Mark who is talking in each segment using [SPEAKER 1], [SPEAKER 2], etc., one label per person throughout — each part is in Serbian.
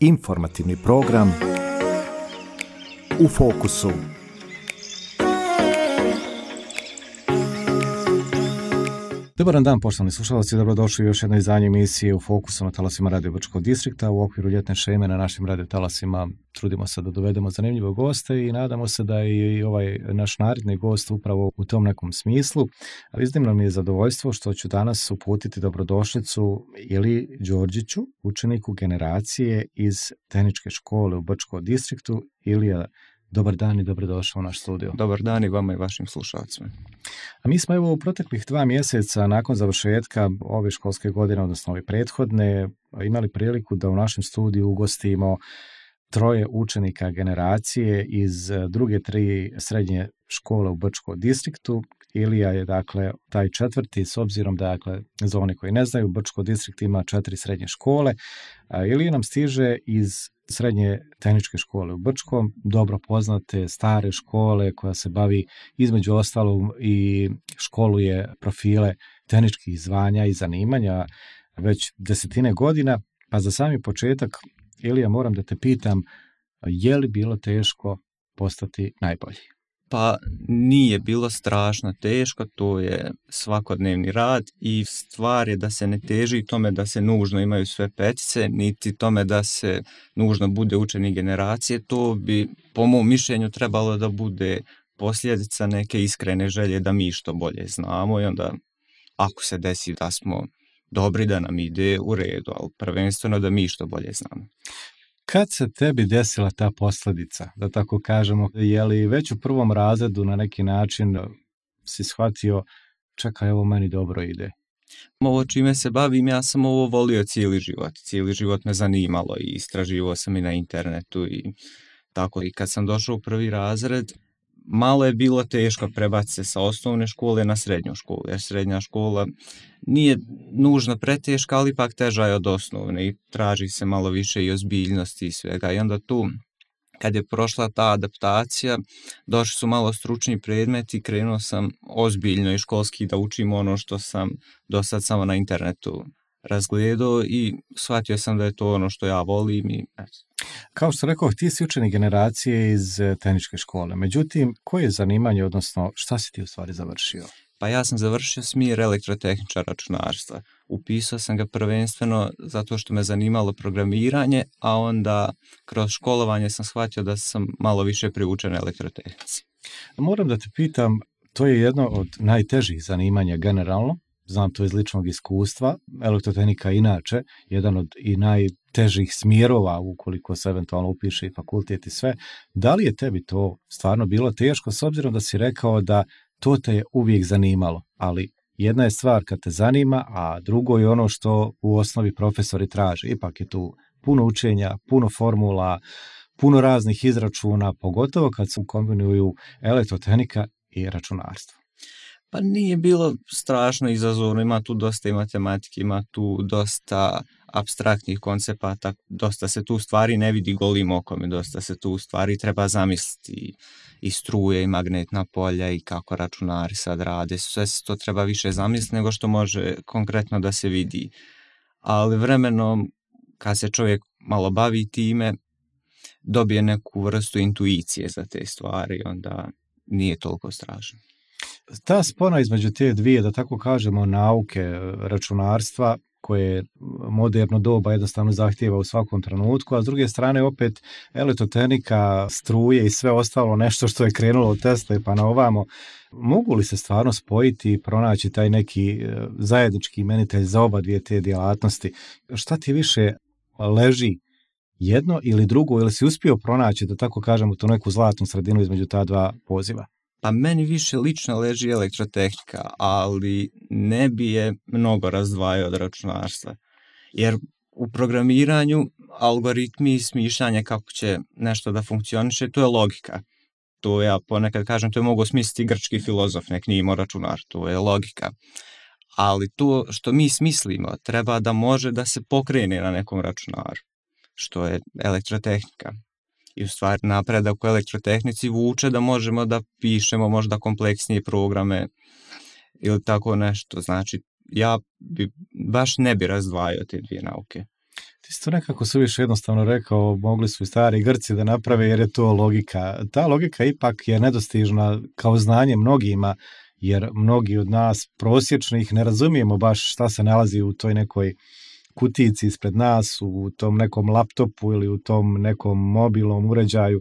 [SPEAKER 1] Informativni program U fokusu. Dobar dan, poštovani slušalci, dobrodošli u još jednoj izdanje emisije U fokusu na talasima Radio Brčkog distrikta. U okviru ljetne šeme na našim radio talasima trudimo se da dovedemo zanimljive goste i nadamo se da je i ovaj naš naredni gost upravo u tom nekom smislu. Ali iznimno mi je zadovoljstvo što ću danas uputiti dobrodošlicu Iliji Đorđiću, učeniku generacije iz tehničke škole u Brčkom distriktu. Ilija, dobar dan i dobrodošao u naš studio.
[SPEAKER 2] Dobar dan i vama i vašim slušalcima.
[SPEAKER 1] A mi smo evo u proteklih 2 mjeseca nakon završetka ove školske godine, odnosno ove prethodne, imali priliku da u našem studiju ugostimo 3 učenika generacije iz druge 3 srednje škole u Brčkom distriktu. Ilija je dakle taj 4. s obzirom da za one koji ne znaju, Brčko distrikt ima 4 srednje škole. Ilija nam stiže iz srednje tehničke škole u Brčkom, dobro poznate stare škole koja se bavi između ostalog i školuje profile tehničkih zvanja i zanimanja već 10 godina. Pa za sami početak, Ilija, moram da te pitam, je li bilo teško postati najbolji?
[SPEAKER 2] Pa nije bilo strašno teško, to je svakodnevni rad i stvar je da se ne teži tome da se nužno imaju sve petice, niti tome da se nužno bude učenik generacije. To bi, po mom mišljenju, trebalo da bude posljedica neke iskrene želje da mi što bolje znamo i onda ako se desi da smo dobri, da nam ide u redu, ali prvenstveno da mi što bolje znamo.
[SPEAKER 1] Kad se tebi desila ta posljedica, da tako kažemo, je li već u 1. razredu na neki način si shvatio, čekaj, ovo meni dobro ide?
[SPEAKER 2] Ovo čime se bavim, ja sam ovo volio cijeli život. Cijeli život me zanimalo i istraživao sam i na internetu i tako. I kad sam došao u 1. razred, malo je bilo teško prebaciti se sa osnovne škole na srednju školu, jer srednja škola nije nužno preteška, ali ipak teža je od osnovne i traži se malo više i ozbiljnosti i svega. I onda tu, kad je prošla ta adaptacija, došli su malo stručni predmeti i krenuo sam ozbiljno i školski da učim ono što sam do sad samo na internetu razgledao i shvatio sam da je to ono što ja volim i
[SPEAKER 1] Kao što rekao, ti si učenik generacije iz tehničke škole. Međutim, koje je zanimanje, odnosno šta si ti u stvari završio?
[SPEAKER 2] Pa ja sam završio smjer elektrotehničar računarstva. Upisao sam ga prvenstveno zato što me zanimalo programiranje, a onda kroz školovanje sam shvatio da sam malo više priučen elektrotehnici.
[SPEAKER 1] Moram da te pitam, to je jedno od najtežih zanimanja generalno. Znam to iz ličnog iskustva. Elektrotehnika je inače jedan od i najtežih smjerova ukoliko se eventualno upiše i fakultet i sve. Da li je tebi to stvarno bilo teško, s obzirom da si rekao da to te je uvijek zanimalo, ali jedna je stvar kad te zanima, a drugo je ono što u osnovi profesori traže. Ipak je tu puno učenja, puno formula, puno raznih izračuna, pogotovo kad se kombinuju elektrotehnika i računarstvo.
[SPEAKER 2] Pa nije bilo strašno izazovno, ima tu dosta i matematike, ima tu dosta apstraktnih koncepata, dosta se tu stvari ne vidi golim okom, dosta se tu stvari treba zamisliti i struje i magnetna polja i kako računari sad rade, sve se to treba više zamisliti nego što može konkretno da se vidi. Ali vremenom, kad se čovjek malo bavi time, dobije neku vrstu intuicije za te stvari, onda nije toliko strašno.
[SPEAKER 1] Ta spona između te dvije, da tako kažemo, nauke računarstva, koje moderno doba jednostavno zahtijeva u svakom trenutku, a s druge strane opet elektrotehnika, struje i sve ostalo nešto što je krenulo od Tesle pa na ovamo, mogu li se stvarno spojiti i pronaći taj neki zajednički imenitelj za oba dvije te djelatnosti? Šta ti više leži, jedno ili drugo, ili si uspio pronaći, da tako kažemo, tu neku zlatnu sredinu između ta 2 poziva?
[SPEAKER 2] Pa meni više lično leži elektrotehnika, ali ne bi je mnogo razdvajao od računarstva. Jer u programiranju algoritmi i smišljanje kako će nešto da funkcioniše, to je logika. To ja ponekad kažem, to je mogao smisliti grčki filozof, nek nije imao računar, to je logika. Ali to što mi smislimo treba da može da se pokrene na nekom računaru, što je elektrotehnika. I u stvari napredak u elektrotehnici vuče da možemo da pišemo možda kompleksnije programe ili tako nešto. Znači, ja baš ne bi razdvajao te 2 nauke.
[SPEAKER 1] Ti si to nekako suviše jednostavno rekao, mogli su i stari Grci da naprave jer je to logika. Ta logika ipak je nedostižna kao znanje mnogima, jer mnogi od nas prosječnih ne razumijemo baš šta se nalazi u toj nekoj kutijici ispred nas, u tom nekom laptopu ili u tom nekom mobilnom uređaju.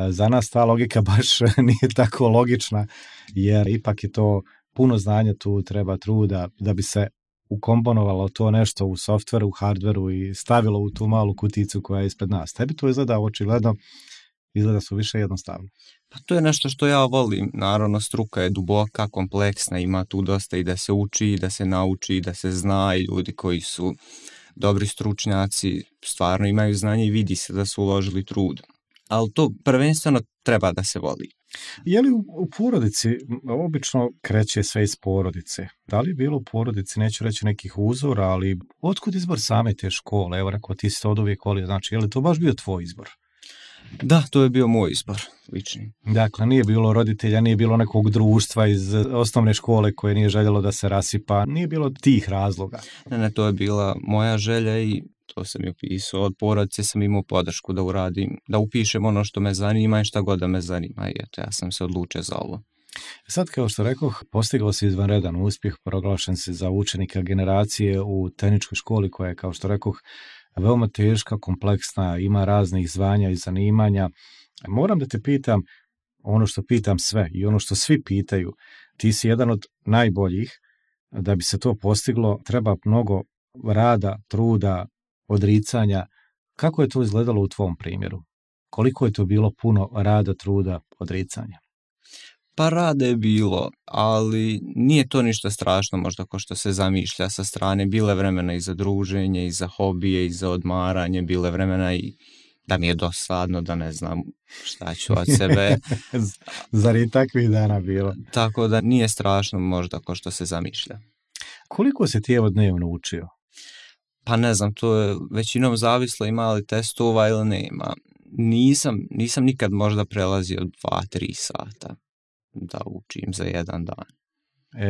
[SPEAKER 1] Za nas ta logika baš nije tako logična, jer ipak je to puno znanja, tu treba truda da bi se ukomponovalo to nešto u softveru, u hardveru i stavilo u tu malu kuticu koja je ispred nas. Tebi to izgleda očigledno, izgleda su više jednostavno.
[SPEAKER 2] Pa to je nešto što ja volim. Naravno, struka je duboka, kompleksna, ima tu dosta i da se uči, da se nauči, da se zna i ljudi koji su dobri stručnjaci stvarno imaju znanje i vidi se da su uložili trud. Ali to prvenstveno treba da se voli.
[SPEAKER 1] Je li u porodici, obično kreće sve iz porodice, da li je bilo u porodici, neću reći nekih uzora, ali otkud izbor same te škole? Evo rekao, ti si to od uvijek volio, znači je li to baš bio tvoj izbor?
[SPEAKER 2] Da, to je bio moj izbor, lični.
[SPEAKER 1] Dakle, nije bilo roditelja, nije bilo nekog društva iz osnovne škole koje nije željelo da se rasipa, nije bilo tih razloga.
[SPEAKER 2] Ne, to je bila moja želja i to sam i upisao. Od porodice sam imao podršku da uradim, da upišem ono što me zanima i šta god da me zanima. I eto, ja sam se odlučio za ovo.
[SPEAKER 1] Sad, kao što rekoh, postigao si izvanredan uspjeh, proglašen si za učenika generacije u tehničkoj školi koja je, kao što rekoh, veoma teška, kompleksna, ima raznih zvanja i zanimanja. Moram da te pitam ono što pitam sve i ono što svi pitaju. Ti si jedan od najboljih. Da bi se to postiglo, treba mnogo rada, truda, odricanja. Kako je to izgledalo u tvom primjeru? Koliko je to bilo puno rada, truda, odricanja?
[SPEAKER 2] Pa rada je bilo, ali nije to ništa strašno možda kao što se zamišlja sa strane. Bile vremena i za druženje, i za hobije, i za odmaranje, bile vremena i da mi je dosadno, da ne znam šta ću od sebe.
[SPEAKER 1] Zar je takvih dana bilo?
[SPEAKER 2] Tako da nije strašno možda kao što se zamišlja.
[SPEAKER 1] Koliko si ti evo dnevno učio?
[SPEAKER 2] Pa ne znam, to je većinom zavislo ima li testova ili nema. Nisam nikad možda prelazio 2-3 sata da učim za jedan dan.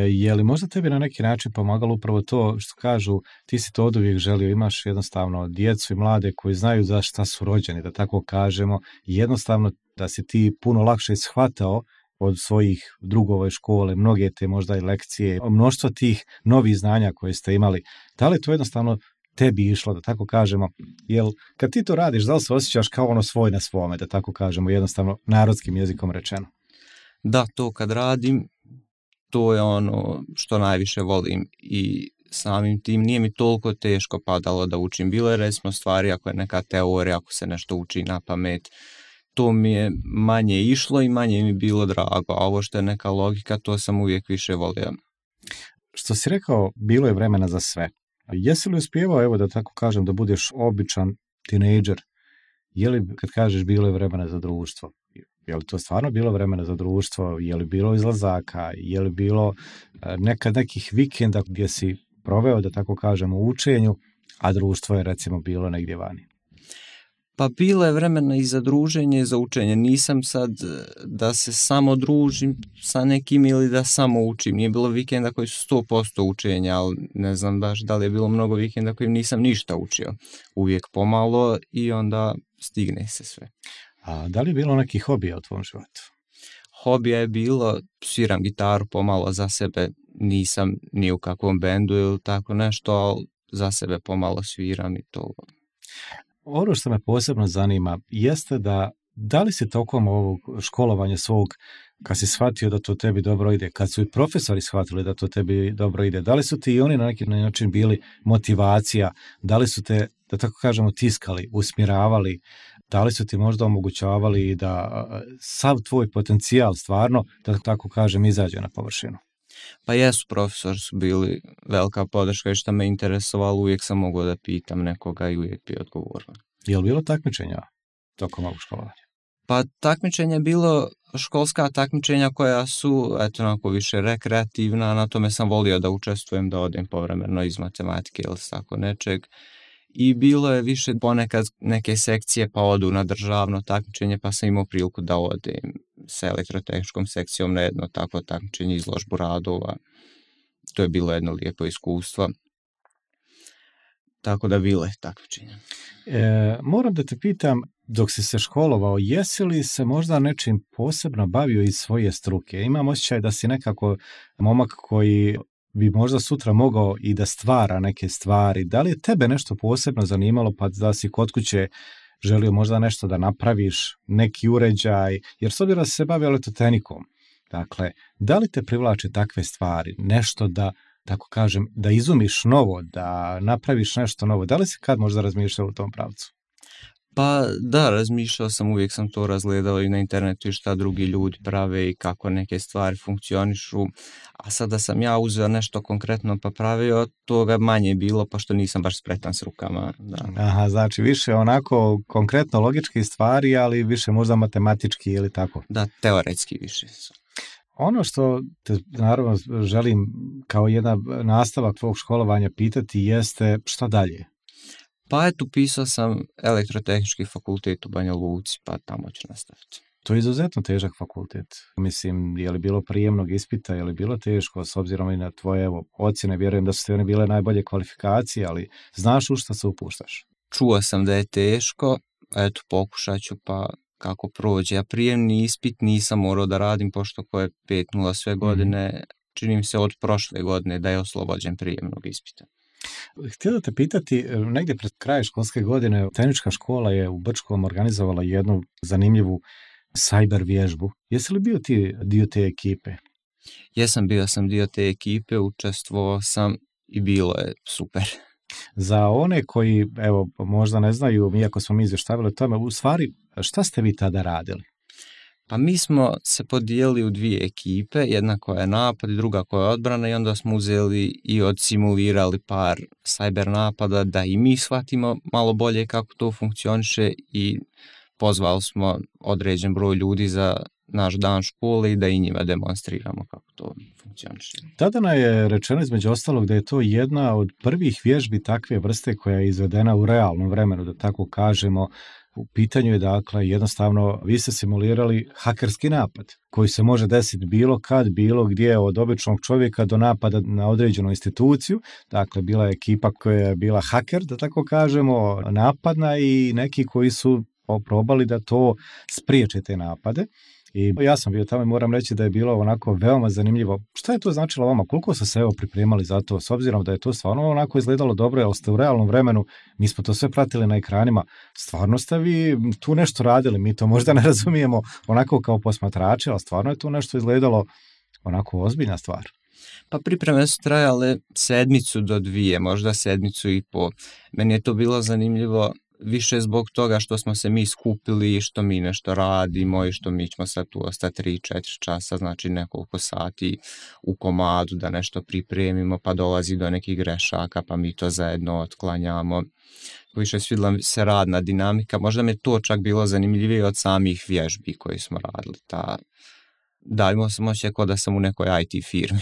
[SPEAKER 1] Je li možda tebi na neki način pomagalo upravo to što kažu, ti si to oduvijek želio, imaš jednostavno djecu i mlade koji znaju za šta su rođeni, da tako kažemo, i jednostavno da si ti puno lakše shvatao od svojih drugova iz škole, mnoge te možda i lekcije, mnoštvo tih novih znanja koje ste imali. Da li to jednostavno tebi išlo, da tako kažemo, jel kad ti to radiš, da li se osjećaš kao ono svoj na svome, da tako kažemo, jednostavno narodskim jezikom rečeno?
[SPEAKER 2] Da, to kad radim, to je ono što najviše volim i samim tim nije mi toliko teško padalo da učim. Bilo je recimo stvari, ako je neka teorija, ako se nešto uči na pamet, to mi je manje išlo i manje mi bilo drago, a ovo što je neka logika, to sam uvijek više volio.
[SPEAKER 1] Što si rekao, bilo je vremena za sve. Jesi li uspjevao, evo da tako kažem, da budeš običan tinejdžer? Je li, kad kažeš, bilo je vremena za društvo? Je li to stvarno bilo vremena za društvo? Je li bilo izlazaka? Je li bilo nekad nekih vikenda gdje si proveo, da tako kažem, u učenju, a društvo je recimo bilo negdje vani?
[SPEAKER 2] Pa bilo je vremena i za druženje i za učenje. Nisam sad da se samo družim sa nekim ili da samo učim. Nije bilo vikenda koji su 100% učenja, ali ne znam baš da li je bilo mnogo vikenda kojim nisam ništa učio. Uvijek pomalo i onda stigne se sve.
[SPEAKER 1] A da li je bilo nekih hobija u tvom životu?
[SPEAKER 2] Hobija je bilo, sviram gitaru pomalo za sebe, nisam ni u kakvom bendu ili tako nešto, ali za sebe pomalo sviram i to.
[SPEAKER 1] Ono što me posebno zanima jeste da li si tokom ovog školovanja svog, kad si shvatio da to tebi dobro ide, kad su i profesori shvatili da to tebi dobro ide, da li su ti i oni na neki način bili motivacija, da li su te, da tako kažemo, tiskali, usmjeravali, da li su ti možda omogućavali da sav tvoj potencijal stvarno, da tako kažem, izađe na površinu?
[SPEAKER 2] Pa jesu, profesori su bili velika podrška i što me interesovalo, uvijek sam mogao da pitam nekoga i uvijek bi odgovorio.
[SPEAKER 1] Je li bilo takmičenja tokom ovog školovanja?
[SPEAKER 2] Pa takmičenje je bilo školska takmičenja koja su, eto, onako više rekreativna, na tome sam volio da učestvujem, da odem povremeno iz matematike ili tako nečeg. I bilo je više ponekad neke sekcije pa odu na državno takmičenje, pa sam imao priliku da odem sa elektrotehničkom sekcijom na jedno takvo takmičenje, izložbu radova. To je bilo jedno lijepo iskustvo. tako da bilo je takmičenja.
[SPEAKER 1] Moram da te pitam, dok si se školovao, jesi li se možda nečim posebno bavio iz svoje struke? Imam osjećaj da si nekako momak koji bi možda sutra mogao i da stvara neke stvari. Da li je tebe nešto posebno zanimalo, pa da si kod kuće želio možda nešto da napraviš, neki uređaj, jer s obzirom da si se bavio elektrotehnikom, dakle, da li te privlače takve stvari, nešto da, tako kažem, da izumiš novo, da napraviš nešto novo, da li si kad možda razmišljao u tom pravcu?
[SPEAKER 2] Pa da, razmišljao sam, uvijek sam to razgledao i na internetu i šta drugi ljudi prave i kako neke stvari funkcionišu, a sada sam ja uzeo nešto konkretno pa pravio, toga manje bilo, pošto nisam baš spretan s rukama. Da.
[SPEAKER 1] Aha, znači više onako konkretno logički stvari, ali više možda matematički ili tako?
[SPEAKER 2] Da, teoretski više.
[SPEAKER 1] Ono što te naravno želim kao jedan nastavak tvog školovanja pitati jeste šta dalje?
[SPEAKER 2] Pa eto, pisao sam elektrotehnički fakultet u Banja Luci, pa tamo ću nastaviti.
[SPEAKER 1] To je izuzetno težak fakultet. Mislim, je li bilo prijemnog ispita, je li bilo teško, s obzirom i na tvoje ocjene, vjerujem da su te one bile najbolje kvalifikacije, ali znaš u šta se upuštaš?
[SPEAKER 2] Čuo sam da je teško, eto, pokušat ću pa kako prođe. Ja prijemni ispit nisam morao da radim, pošto ko je 5.0 sve godine, čini mi se od prošle godine da je oslobođen prijemnog ispita.
[SPEAKER 1] Htio da te pitati, negdje pred kraj školske godine tehnička škola je u Brčkom organizovala jednu zanimljivu cyber vježbu. Jesi li bio ti dio te ekipe?
[SPEAKER 2] Jesam, bio sam dio te ekipe, učestvovao sam i bilo je super.
[SPEAKER 1] Za one koji, evo, možda ne znaju, iako smo mi izvještavili o tome, u stvari, šta ste vi tada radili?
[SPEAKER 2] Pa mi smo se podijelili u dvije ekipe, jedna koja je napad i druga koja je odbrana i onda smo uzeli i odsimulirali par cyber napada da i mi shvatimo malo bolje kako to funkcioniše i pozvali smo određen broj ljudi za naš dan škole i da i njima demonstriramo kako to funkcioniše.
[SPEAKER 1] Tada je rečeno između ostalog da je to jedna od prvih vježbi takve vrste koja je izvedena u realnom vremenu, da tako kažemo. U pitanju je dakle jednostavno vi ste simulirali hakerski napad koji se može desiti bilo kad, bilo gdje, od običnog čovjeka do napada na određenu instituciju. Dakle, bila je ekipa koja je bila haker, da tako kažemo, napadna i neki koji su probali da to spriječe te napade. I ja sam bio tamo i moram reći da je bilo onako veoma zanimljivo. Šta je to značilo vama? Koliko ste se evo pripremali za to? S obzirom da je to stvarno onako izgledalo dobro, jer ste u realnom vremenu, mi smo to sve pratili na ekranima, stvarno ste vi tu nešto radili, mi to možda ne razumijemo onako kao posmatrači, ali stvarno je tu nešto izgledalo onako ozbiljna stvar.
[SPEAKER 2] Pa pripreme su trajale 1 do 2, možda 1,5. Meni je to bilo zanimljivo više zbog toga što smo se mi skupili i što mi nešto radimo i što mi ćemo sad tu ostati 3-4 časa, znači nekoliko sati u komadu da nešto pripremimo, pa dolazi do nekih grešaka, pa mi to zajedno otklanjamo. Više svidjela se radna dinamika, možda mi je to čak bilo zanimljivije od samih vježbi koje smo radili. Da, imao sam osjećaj kao da sam u nekoj IT firmi.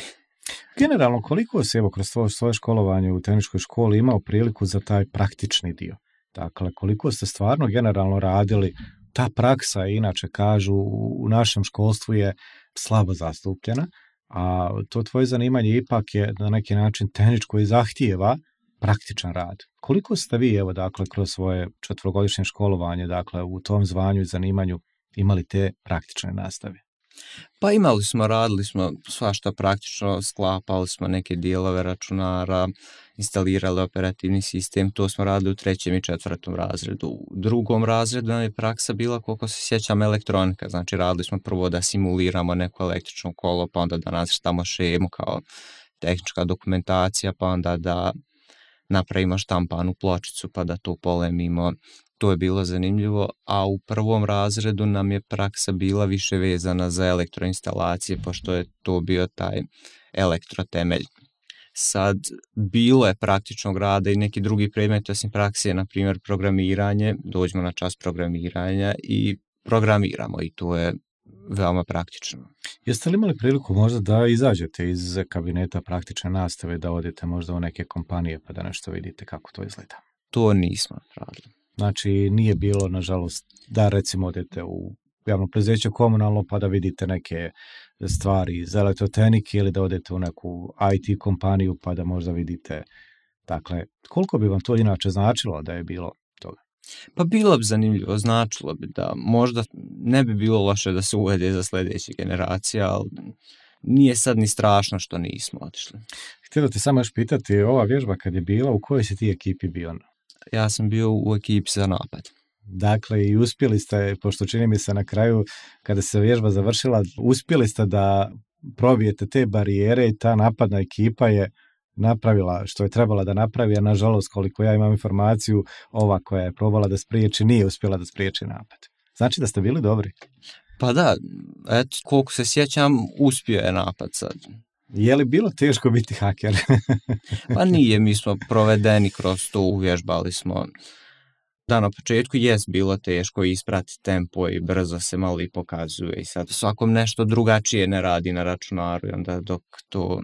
[SPEAKER 1] Generalno, koliko si evo kroz svoje školovanje u tehničkoj školi imao priliku za taj praktični dio? Dakle, koliko ste stvarno generalno radili, ta praksa, inače kažu, u našem školstvu je slabo zastupljena, a to tvoje zanimanje ipak je na neki način tehničko i zahtijeva praktičan rad. Koliko ste vi, evo, dakle, kroz svoje 4-godišnje školovanje, dakle, u tom zvanju i zanimanju imali te praktične nastave?
[SPEAKER 2] Pa radili smo svašta praktično, sklapali smo neke dijelove računara, instalirali operativni sistem, to smo radili u 3. i 4. razredu. U 2. razredu nam je praksa bila, koliko se sjećam, elektronika, znači radili smo prvo da simuliramo neko električno kolo, pa onda da nacrtamo šemu kao tehnička dokumentacija, pa onda da napravimo štampanu pločicu pa da to polemimo. To je bilo zanimljivo, a u 1. razredu nam je praksa bila više vezana za elektroinstalacije, pošto je to bio taj elektrotemelj. Sad, bilo je praktičnog rada i neki drugi predmeti osim prakse, na primjer programiranje, dođemo na čas programiranja i programiramo i to je veoma praktično.
[SPEAKER 1] Jeste li imali priliku možda da izađete iz kabineta praktične nastave, da odete možda u neke kompanije pa da nešto vidite kako to izgleda?
[SPEAKER 2] To nismo radili.
[SPEAKER 1] Znači, nije bilo, nažalost, da recimo odete u javno preduzeće komunalno pa da vidite neke stvari iz elektrotehnike ili da odete u neku IT kompaniju pa da možda vidite Dakle, koliko bi vam to inače značilo da je bilo toga?
[SPEAKER 2] Pa bilo bi zanimljivo, značilo bi da možda ne bi bilo loše da se uvede za sljedeće generacije, ali nije sad ni strašno što nismo otišli.
[SPEAKER 1] Htio da te samo još pitati, ova vježba kad je bila, u kojoj si ti ekipi bio?
[SPEAKER 2] Ja sam bio u ekipi za napad.
[SPEAKER 1] Dakle, i uspjeli ste, pošto čini mi se na kraju, kada se vježba završila, uspjeli ste da probijete te barijere i ta napadna ekipa je napravila što je trebala da napravi, a nažalost, koliko ja imam informaciju, ova koja je probala da spriječi, nije uspjela da spriječi napad. Znači da ste bili dobri?
[SPEAKER 2] Pa da, eto, koliko se sjećam, uspio je napad sad.
[SPEAKER 1] Je li bilo teško biti haker?
[SPEAKER 2] Pa nije, mi smo provedeni kroz to, uvježbali smo. Da, na početku jest bilo teško isprati tempo i brzo se malo i pokazuje i sad svakom nešto drugačije ne radi na računaru i onda dok to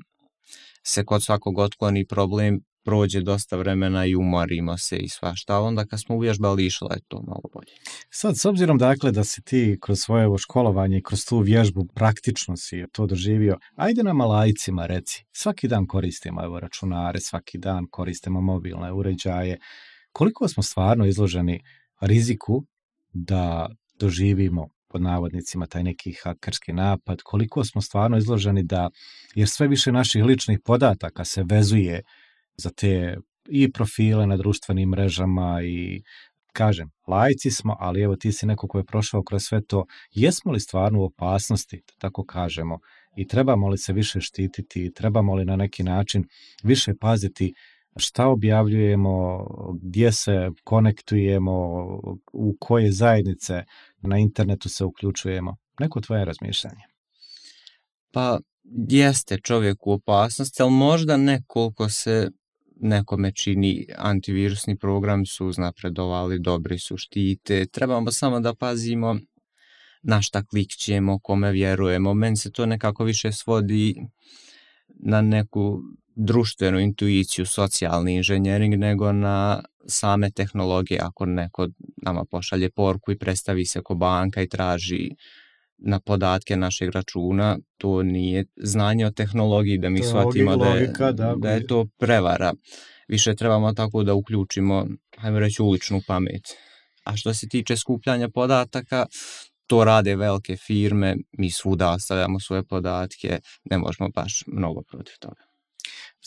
[SPEAKER 2] se kod svakog otkloni problem prođe dosta vremena i umorimo se i svašta, onda kad smo uvježbali išlo je to malo bolje.
[SPEAKER 1] Sad, s obzirom dakle da si ti kroz svoje školovanje i kroz tu vježbu praktično si to doživio, ajde nama laicima reci, svaki dan koristimo računare, svaki dan koristimo mobilne uređaje, koliko smo stvarno izloženi riziku da doživimo pod navodnicima taj neki hakerski napad, koliko smo stvarno izloženi da, jer sve više naših ličnih podataka se vezuje za te i profile na društvenim mrežama i kažem, laici smo, ali evo ti si neko ko je prošao kroz sve to, jesmo li stvarno u opasnosti, da tako kažemo, i trebamo li se više štititi, trebamo li na neki način više paziti šta objavljujemo, gdje se konektujemo, u koje zajednice na internetu se uključujemo. Neko tvoje razmišljanje?
[SPEAKER 2] Pa jeste čovjek u opasnosti, ali možda ne koliko se nekome čini. Antivirusni programi su uznapredovali, dobri su, štite. Trebamo samo da pazimo na šta klikćemo, kome vjerujemo. Meni se to nekako više svodi na neku društvenu intuiciju, socijalni inženjering, nego na same tehnologije. Ako neko nama pošalje poruku i predstavi se ko banka i traži na podatke našeg računa, to nije znanje o tehnologiji, da mi shvatimo da je to prevara. Više trebamo tako da uključimo, hajmo reći, uličnu pamet. A što se tiče skupljanja podataka, to rade velike firme, mi svuda ostavljamo svoje podatke, ne možemo baš mnogo protiv toga.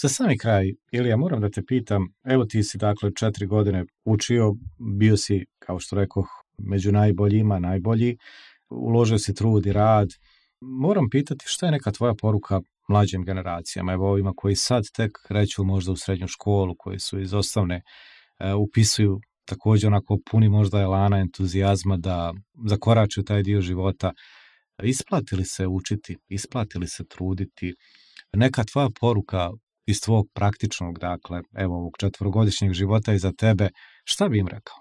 [SPEAKER 1] Za sami kraj, Ilija, moram da te pitam, evo ti si dakle 4 godine učio, bio si, kao što rekoh, među najboljima, najbolji, uložio si trud i rad. Moram pitati šta je neka tvoja poruka mlađim generacijama, evo ovima koji sad tek kreću možda u srednju školu, koji su iz osnovne, upisuju također onako puni možda elana, entuzijazma da zakoračuju taj dio života. Isplati li se učiti, isplati li se truditi? Neka tvoja poruka iz tvog praktičnog, dakle, evo ovog 4-godišnjeg života iza tebe, šta bi im rekao?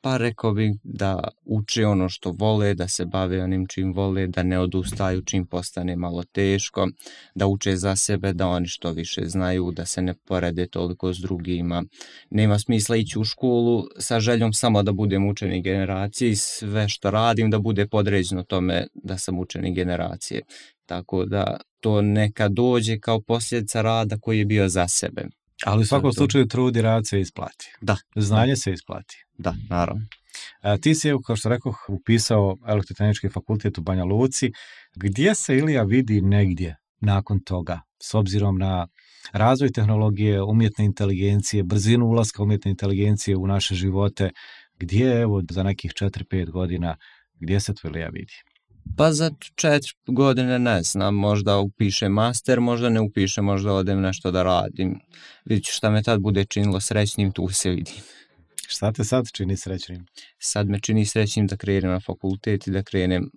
[SPEAKER 2] Pa rekao bih da uče ono što vole, da se bave onim čim vole, da ne odustaju čim postane malo teško, da uče za sebe, da oni što više znaju, da se ne porede toliko s drugima. Nema smisla ići u školu sa željom samo da budem učenik generacije i sve što radim da bude podređeno tome da sam učenik generacije. Tako da to neka dođe kao posljedica rada koji je bio za sebe.
[SPEAKER 1] Ali u svakom slučaju trud i rad se isplati.
[SPEAKER 2] Da.
[SPEAKER 1] Znanje se isplati.
[SPEAKER 2] Da, naravno.
[SPEAKER 1] Ti si, kao što rekoh, upisao Elektrotehnički fakultet u Banja Luci. Gdje se Ilija vidi negdje nakon toga, s obzirom na razvoj tehnologije, umjetne inteligencije, brzinu ulaska umjetne inteligencije u naše živote, gdje evo za nekih 4-5 godina, gdje se to Ilija vidi?
[SPEAKER 2] Pa za 4 godine ne znam, možda upišem master, možda ne upišem, možda odem nešto da radim. Vidjet ću šta me tad bude činilo srećnim, tu se vidim.
[SPEAKER 1] Šta te sad čini srećnim?
[SPEAKER 2] Sad me čini srećnim da krenem na fakultet i da krenem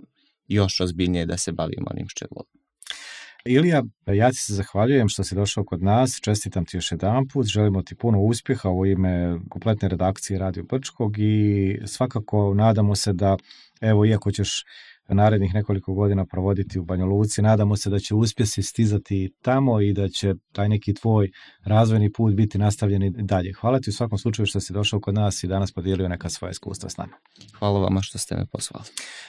[SPEAKER 2] još ozbiljnije da se bavim onim što volim.
[SPEAKER 1] Ilija, ja ti se zahvaljujem što si došao kod nas, čestitam ti još jedanput, želimo ti puno uspjeha u ime kompletne redakcije Radio Brčkog i svakako nadamo se da, evo, iako ćeš narednih nekoliko godina provoditi u Banja Luci. Nadamo se da će uspjesi stizati tamo i da će taj neki tvoj razvojni put biti nastavljen i dalje. Hvala ti u svakom slučaju što si došao kod nas i danas podijelio neka svoja iskustva s nama.
[SPEAKER 2] Hvala vama što ste me pozvali.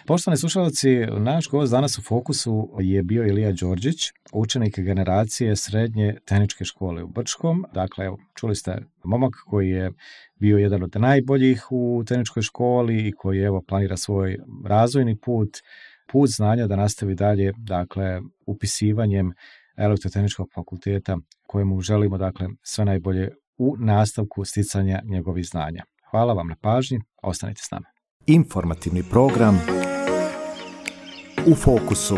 [SPEAKER 1] Poštovani slušalci, naš gost danas u Fokusu je bio Ilija Đorđić, učenik generacije srednje tehničke škole u Brčkom. Dakle, evo, čuli ste momak koji je bio jedan od najboljih u tehničkoj školi i koji evo planira svoj razvojni put znanja da nastavi dalje, dakle, upisivanjem Elektrotehničkog fakulteta kojemu želimo, dakle, sve najbolje u nastavku sticanja njegovih znanja. Hvala vam na pažnji, ostanite s nama.
[SPEAKER 3] Informativni program U Fokusu.